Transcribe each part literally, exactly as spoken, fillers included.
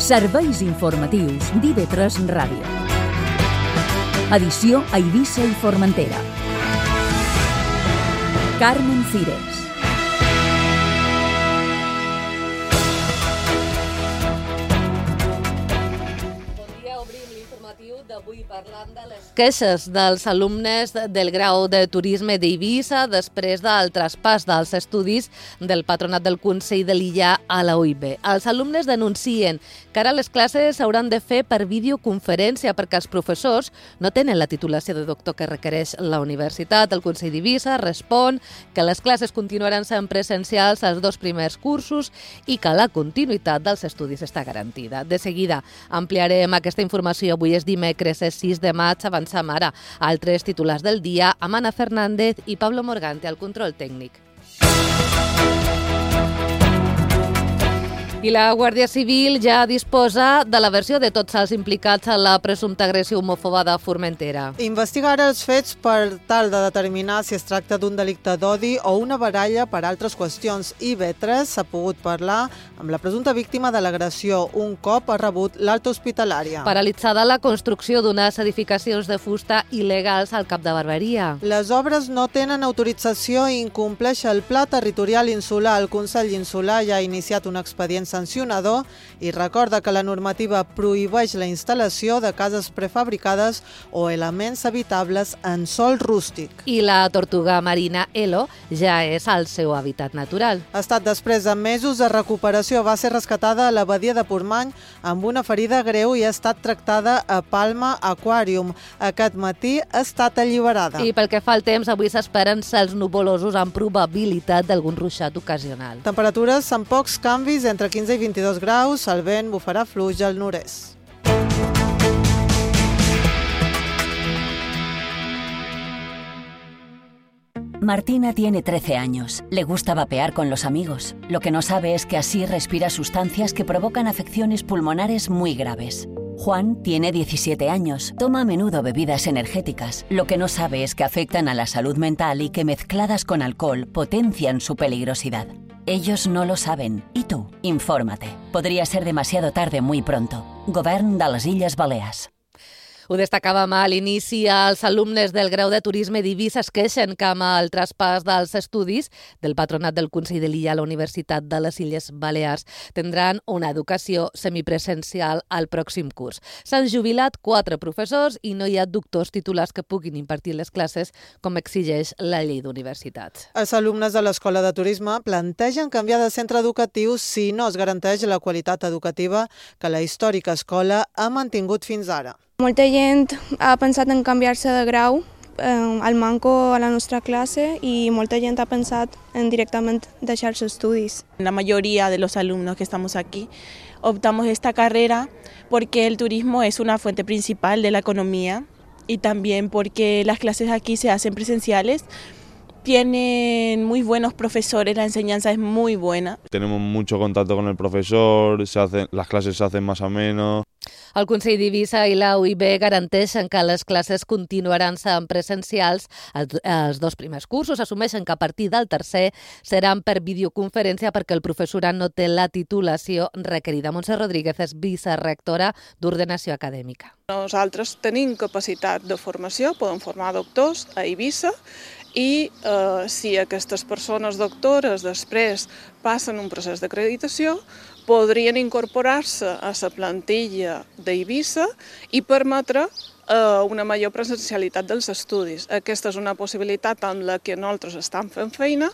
Serveis informatius d'I V tres Ràdio. Edició a Eivissa i Formentera. Carmen Cires. D'avui parlant de les queixes dels alumnes del grau de turisme d'Eivissa després del traspàs dels estudis del Patronat del Consell de l'Illa a la U I B. Els alumnes denuncien que ara les classes s'hauran de fer per videoconferència perquè els professors no tenen la titulació de doctor que requereix la universitat. El Consell d'Eivissa respon que les classes continuaran sent presencials als dos primers cursos i que la continuïtat dels estudis està garantida. De seguida ampliarem aquesta informació. Avui és dimecres sis de maig, avancem ara a altres titulars del dia amb Anna Fernández i Pablo Morgante al control tècnic. I la Guàrdia Civil ja disposa de la versió de tots els implicats en la presumpta agressió homòfoba de Formentera. Investiga ara els fets per tal de determinar si es tracta d'un delicte d'odi o una baralla per altres qüestions. I V tres s'ha pogut parlar amb la presumpta víctima de l'agressió un cop ha rebut l'alta hospitalària. Paralitzada la construcció d'unes edificacions de fusta il·legals al Cap de Barberia. Les obres no tenen autorització i incompleix el Pla Territorial Insular. El Consell Insular ja ha iniciat un expedient sancionador i recorda que la normativa prohibeix la instal·lació de cases prefabricades o elements habitables en sòl rústic. I la tortuga marina Elo ja és al seu hàbitat natural. Ha estat després de mesos de recuperació. Va ser rescatada a la badia de Portmany amb una ferida greu i ha estat tractada a Palma Aquarium. Aquest matí ha estat alliberada. I pel que fa al temps, avui s'esperen cels nuvolosos amb probabilitat d'algun ruixat ocasional. Temperatures amb pocs canvis, entre quinze i vint-i-dos graus, el vent bufarà fluix al nord-est. Martina tiene trece años. Le gusta vapear con los amigos. Lo que no sabe es que así respira sustancias que provocan afecciones pulmonares muy graves. Juan tiene diecisiete años. Toma a menudo bebidas energéticas. Lo que no sabe es que afectan a la salud mental y que mezcladas con alcohol potencian su peligrosidad. Ellos no lo saben. ¿Y tú? Infórmate. Podría ser demasiado tarde muy pronto. Govern de les Illes Balears. Ho destacàvem a l'inici, els alumnes del grau de turisme d'Eivissa es queixen que amb el traspàs dels estudis del Patronat del Consell de l'Illa a la Universitat de les Illes Balears tindran una educació semipresencial al pròxim curs. S'han jubilat quatre professors i no hi ha doctors titulars que puguin impartir les classes com exigeix la llei d'universitats. Els alumnes de l'Escola de Turisme plantegen canviar de centre educatiu si no es garanteix la qualitat educativa que la històrica escola ha mantingut fins ara. Molta gent ha pensat en canviar-se de grau eh, al manco a la nostra clase y molta gent ha pensat en directament deixar-se estudis. La mayoría de los alumnos que estamos aquí optamos esta carrera porque el turismo es una fuente principal de la economía y también porque las clases aquí se hacen presenciales. Tienen muy buenos profesores, la enseñanza es muy buena. Tenemos mucho contacto con el profesor, se hacen, las clases se hacen más ameno. El Consell d'Eivissa i la U I B garanteixen que les classes continuaran sent presencials. Els dos primers cursos assumeixen que a partir del tercer seran per videoconferència perquè el professorat no té la titulació requerida. Montse Rodríguez és vicerectora d'Ordenació Acadèmica. Nosaltres tenim capacitat de formació, podem formar doctors a Eivissa i eh, si aquestes persones doctores després passen un procés d'acreditació, podrien incorporar-se a la plantilla d'Eivissa i permetre eh, una major presencialitat dels estudis. Aquesta és una possibilitat amb la que nosaltres estem fent feina.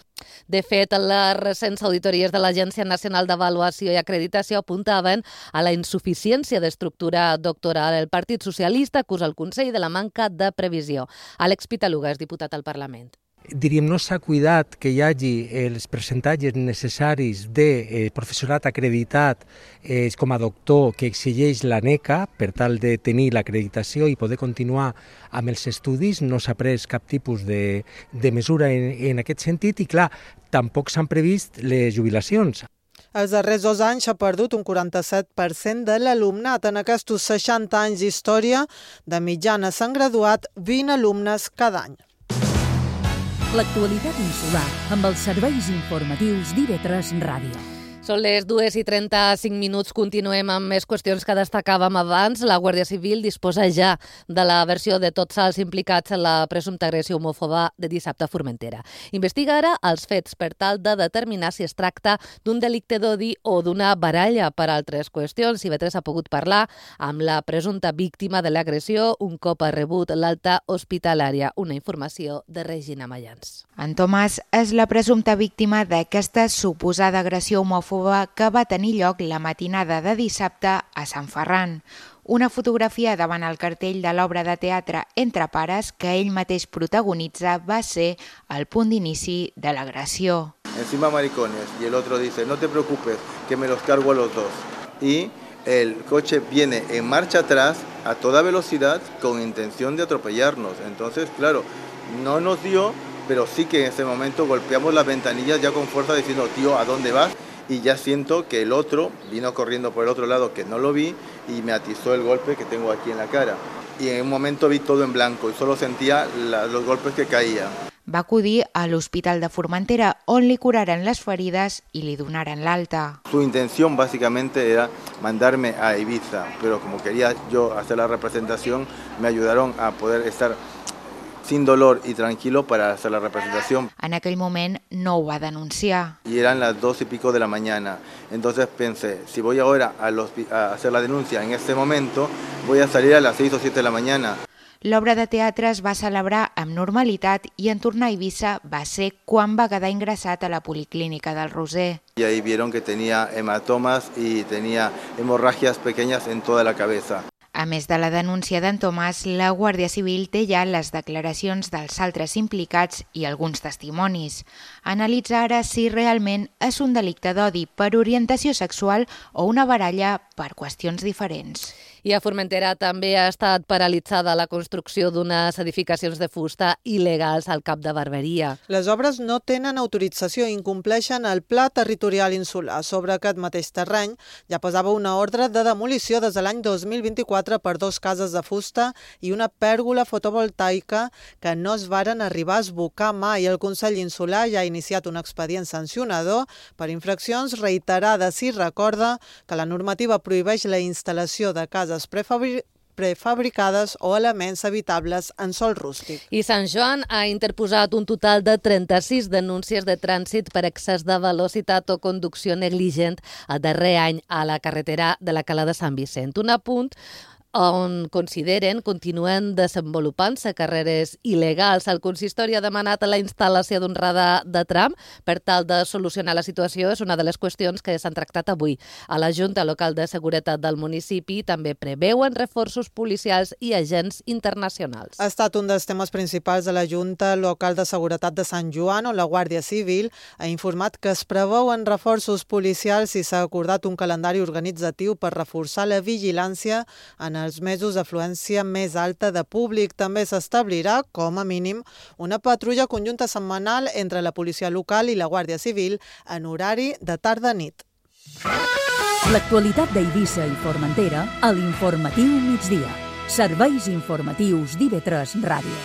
De fet, les recents auditories de l'Agència Nacional d'Avaluació i Acreditació apuntaven a la insuficiència d'estructura doctoral. El Partit Socialista acusa el Consell de la manca de previsió. Àlex Pitaluga és diputat al Parlament. Diríem, no s'ha cuidat que hi hagi els percentatges necessaris de eh, professorat acreditat eh, com a doctor que exigeix l'ANECA per tal de tenir l'acreditació i poder continuar amb els estudis. No s'ha pres cap tipus de, de mesura en, en aquest sentit i, clar, tampoc s'han previst les jubilacions. Els darrers dos anys s'ha perdut un quaranta-set per cent de l'alumnat. En aquests seixanta anys d'història, de mitjana s'han graduat vint alumnes cada any. L'actualitat insular amb els serveis informatius d'I V tres Ràdio. Són les dues i trenta-cinc minuts, continuem amb més qüestions que destacàvem abans. La Guàrdia Civil disposa ja de la versió de tots els implicats en la presumpta agressió homòfoba de dissabte a Formentera. Investiga ara els fets per tal de determinar si es tracta d'un delicte d'odi o d'una baralla. Per altres qüestions, I V tres ha pogut parlar amb la presumpta víctima de l'agressió un cop ha rebut l'alta hospitalària. Una informació de Regina Mayans. En Tomàs és la presumpta víctima d'aquesta suposada agressió homòfoba que va tenir lloc la matinada de dissabte a Sant Ferran. Una fotografia davant el cartell de l'obra de teatre Entre pares que ell mateix protagonitza va ser el punt d'inici de l'agressió. Encima maricones y el otro dice no te preocupes que me los cargo a los dos y el coche viene en marcha atrás a toda velocidad con intención de atropellarnos. Entonces, claro, no nos dio, pero sí que en ese momento golpeamos las ventanillas ya con fuerza diciendo tío, ¿a dónde vas? Y ya siento que el otro vino corriendo por el otro lado que no lo vi y me atizó el golpe que tengo aquí en la cara. Y en un momento vi todo en blanco y solo sentía la, los golpes que caían. Va acudir a l'Hospital de Formentera on li curaren les ferides i li donaren l'alta. Su intención básicamente era mandarme a Ibiza, pero como quería yo hacer la representación, me ayudaron a poder estar sin dolor y tranquilo para hacer la representación. En aquell moment no ho va denunciar. Y eran las dos y pico de la mañana. Entonces pensé, si voy ahora a, los, a hacer la denuncia en este momento, voy a salir a las seis o siete de la mañana. L'obra de teatre es va celebrar amb normalitat i en tornar a Eivissa va ser quan va quedar ingressat a la Policlínica del Roser. Y ahí vieron que tenía hematomas y tenía hemorragias pequeñas en toda la cabeza. A més de la denúncia d'en Tomàs, la Guàrdia Civil té ja les declaracions dels altres implicats i alguns testimonis. Analitza ara si realment és un delicte d'odi per orientació sexual o una baralla per qüestions diferents. I a Formentera també ha estat paralitzada la construcció d'unes edificacions de fusta il·legals al cap de Barberia. Les obres no tenen autorització i incompleixen el Pla Territorial Insular. Sobre aquest mateix terreny ja pesava una ordre de demolició des de l'any dos mil vint-i-quatre per dos cases de fusta i una pèrgola fotovoltaica que no es varen arribar a esbocar mai. El Consell Insular ja ha iniciat un expedient sancionador per infraccions reiterades i recorda que la normativa prohibeix la instal·lació de cases Prefabri prefabricades o elements habitables en sòl rústic. I Sant Joan ha interposat un total de trenta-sis denúncies de trànsit per excés de velocitat o conducció negligent el darrer any a la carretera de la Cala de Sant Vicent. Un apunt on consideren continuen desenvolupant-se carreres il·legals. El consistori ha demanat la instal·lació d'un radar de tram per tal de solucionar la situació. És una de les qüestions que s'han tractat avui. A la Junta Local de Seguretat del municipi també preveuen reforços policials i agents internacionals. Ha estat un dels temes principals de la Junta Local de Seguretat de Sant Joan, on la Guàrdia Civil ha informat que es preveuen reforços policials i s'ha acordat un calendari organitzatiu per reforçar la vigilància en els mesos d'afluència més alta de públic. També s'establirà, com a mínim, una patrulla conjunta setmanal entre la policia local i la Guàrdia Civil en horari de tarda-nit. L'actualitat d'Eivissa i Formentera a l'Informatiu Migdia. Serveis informatius d'I V tres Ràdio.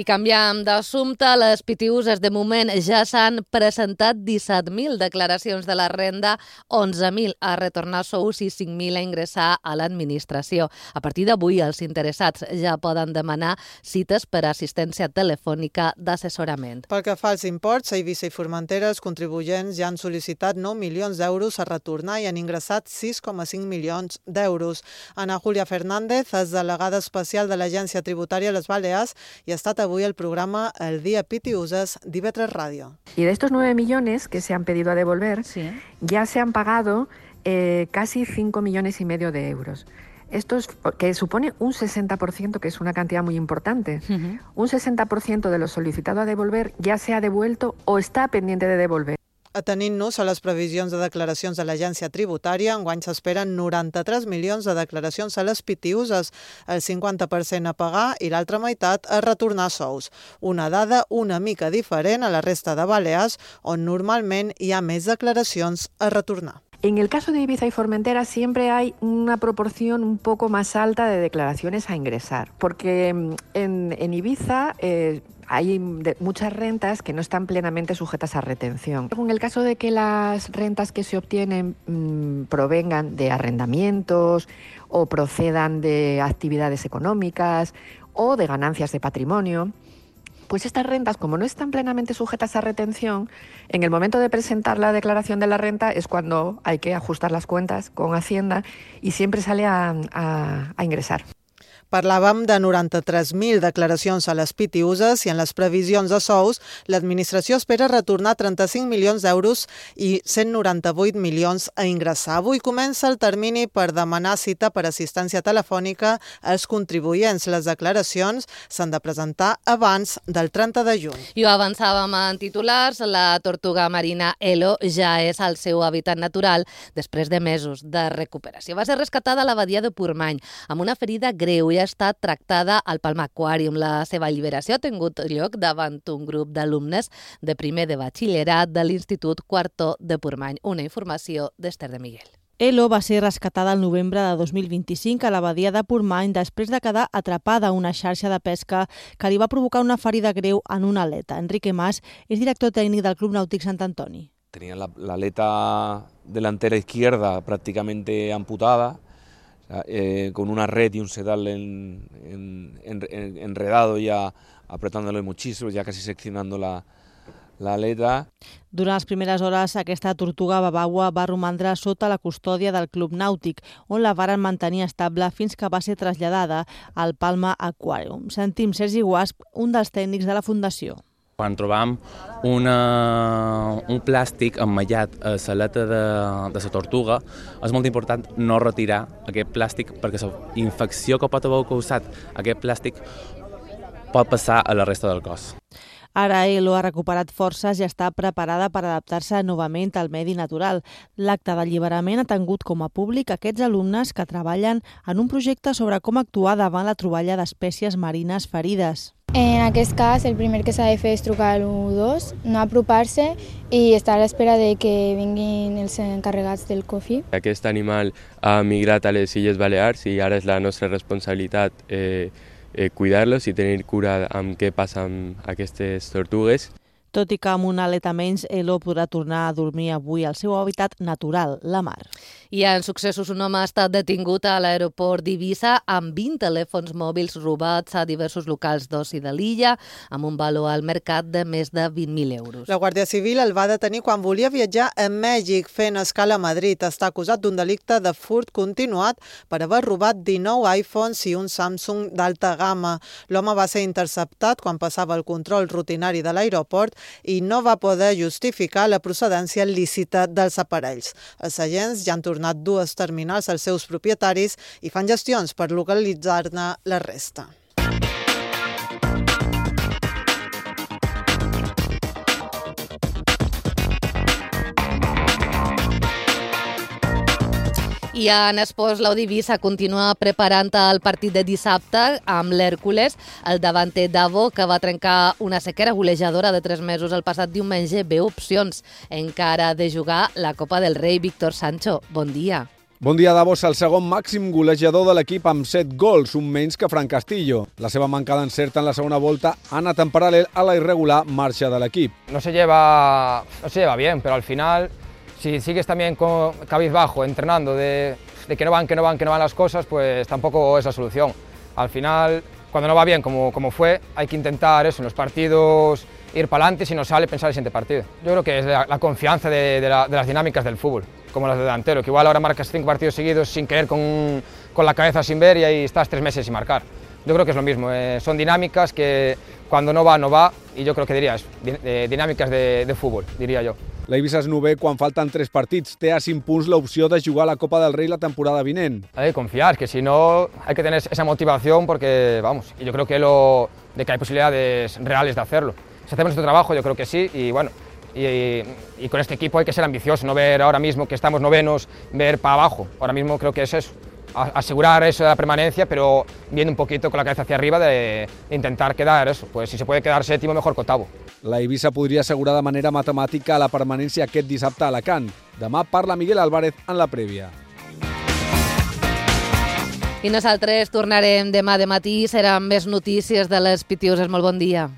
I canviam d'assumpte, les P T Us de moment ja s'han presentat disset mil declaracions de la renda, onze mil a retornar sous i cinc mil a ingressar a l'administració. A partir d'avui, els interessats ja poden demanar cites per a assistència telefònica d'assessorament. Pel que fa als imports, a Eivissa i Formentera els contribuents ja han sol·licitat nou milions d'euros a retornar i han ingressat sis coma cinc milions d'euros. Ana Julia Fernández és delegada especial de l'Agència Tributària a les Balears i ha estat avui el programa El Día P T Users de I V tres Radio. Y de estos nueve millones que se han pedido a devolver, sí. ya se han pagado eh, casi cinco millones y medio de euros. Esto es, que supone un sesenta por ciento, que es una cantidad muy importante. Uh-huh. Un sesenta por ciento de lo solicitado a devolver ya se ha devuelto o está pendiente de devolver. Atenint-nos a les previsions de declaracions de l'Agència Tributària, enguany s'esperen noranta-tres milions de declaracions a les P T Us, el cinquanta per cent a pagar i l'altra meitat a retornar sous. Una dada una mica diferent a la resta de Balears, on normalment hi ha més declaracions a retornar. En el caso de Ibiza y Formentera siempre hay una proporción un poco más alta de declaraciones a ingresar, porque en, en Ibiza eh, hay de, muchas rentas que no están plenamente sujetas a retención. En el caso de que las rentas que se obtienen mmm, provengan de arrendamientos o procedan de actividades económicas o de ganancias de patrimonio, pues estas rentas, como no están plenamente sujetas a retención, en el momento de presentar la declaración de la renta es cuando hay que ajustar las cuentas con Hacienda y siempre sale a, a, a ingresar. Parlàvem de noranta-tres mil declaracions a les pitiuses i en les previsions de sous l'administració espera retornar trenta-cinc milions d'euros i cent noranta-vuit milions a ingressar. Avui comença el termini per demanar cita per assistència telefònica als contribuents. Les declaracions s'han de presentar abans del trenta de juny. I ho avançàvem en titulars, la tortuga marina Elo ja és al seu hàbitat natural després de mesos de recuperació. Va ser rescatada a la badia de Portmany amb una ferida greu i ha estat tractada al Palma Aquarium. La seva alliberació ha tingut lloc davant un grup d'alumnes de primer de batxillerat de l'Institut Quartó de Portmany. Una informació d'Ester de Miguel. Elo va ser rescatada el novembre de dos mil vint-i-cinc a la badia de Portmany després de quedar atrapada a una xarxa de pesca que li va provocar una ferida greu en una aleta. Enrique Mas és director tècnic del Club Nàutic Sant Antoni. Tenía la, la aleta delantera izquierda prácticamente amputada, Eh, con una red y un sedal en, en, en, enredado ya apretándolo muchísimo, ya casi seccionando la, la aleta. Durant les primeres hores, aquesta tortuga babaua va romandre sota la custòdia del Club Nàutic, on la varen mantenir estable fins que va ser traslladada al Palma Aquarium. Sentim Sergi Guasp, un dels tècnics de la Fundació. Quan trobam una, un plàstic emmallat a l'aleta de, de la tortuga, és molt important no retirar aquest plàstic perquè la infecció que pot haver causat aquest plàstic pot passar a la resta del cos. Ara Elo ha recuperat forces i està preparada per adaptar-se novament al medi natural. L'acte d'alliberament ha tingut com a públic aquests alumnes que treballen en un projecte sobre com actuar davant la troballa d'espècies marines ferides. En aquest cas, el primer que s'ha de fer és trucar al u dos, no apropar-se i estar a l'espera de que vinguin els encarregats del C O F I. Aquest animal ha migrat a les Illes Balears i ara és la nostra responsabilitat eh, eh, cuidar-los i tenir cura amb què passa amb aquestes tortugues. Tot i que amb una aleta menys, Elo podrà tornar a dormir avui al seu hàbitat natural, la mar. I en successos, un home ha estat detingut a l'aeroport d'Eivissa amb vint telèfons mòbils robats a diversos locals d'oci de l'illa, amb un valor al mercat de més de vint mil euros. La Guàrdia Civil el va detenir quan volia viatjar a Mèxic fent escala a Madrid. Està acusat d'un delicte de furt continuat per haver robat dinou iPhones i un Samsung d'alta gamma. L'home va ser interceptat quan passava el control rutinari de l'aeroport i no va poder justificar la procedència lícita dels aparells. Els agents ja han tornat dues terminals als seus propietaris i fan gestions per localitzar-ne la resta. I en esports, l'Eivissa continua preparant el partit de dissabte amb l'Hèrcules, el davanter Davo, que va trencar una sequera golejadora de tres mesos el passat diumenge. Veu opcions encara de jugar la Copa del Rei. Víctor Sancho, bon dia. Bon dia, Davos, el segon màxim golejador de l'equip amb set gols, un menys que Fran Castillo. La seva manca d'encert en la segona volta ha anat en paral·lel a la irregular marxa de l'equip. No se lleva, no se lleva bien, pero al final, si sigues también con cabizbajo, entrenando de, de que no van, que no van, que no van las cosas, pues tampoco es la solución. Al final, cuando no va bien, como, como fue, hay que intentar eso, en los partidos ir para adelante, si no sale, pensar el siguiente partido. Yo creo que es la, la confianza de, de, la, de las dinámicas del fútbol, como las de delantero, que igual ahora marcas cinco partidos seguidos sin querer, con, con la cabeza sin ver, y ahí estás tres meses sin marcar. Yo creo que es lo mismo, eh, son dinámicas que cuando no va, no va, y yo creo que dirías, eh, dinámicas de, de fútbol, diría yo. L'Eivissa és novè quan falten tres partits. Té a cinc punts l'opció de jugar a la Copa del Rei la temporada vinent. Hay que confiar, que si no hay que tener esa motivación porque, vamos, y yo creo que lo de que hay posibilidades reales de hacerlo. Si hacemos nuestro trabajo, yo creo que sí, y bueno, y, y, y con este equipo hay que ser ambicioso, no ver ahora mismo que estamos novenos, ver para abajo. Ahora mismo creo que es eso, asegurar eso de la permanencia, pero viendo un poquito con la cabeza hacia arriba de, de intentar quedar eso, pues si se puede quedar séptimo, mejor que octavo. La Eivissa podria assegurar de manera matemàtica la permanència aquest dissabte a Alacant. Demà parla Miguel Álvarez en la prèvia. I nosaltres tornarem demà de matí, seran més notícies de les Pitiuses. Molt bon dia.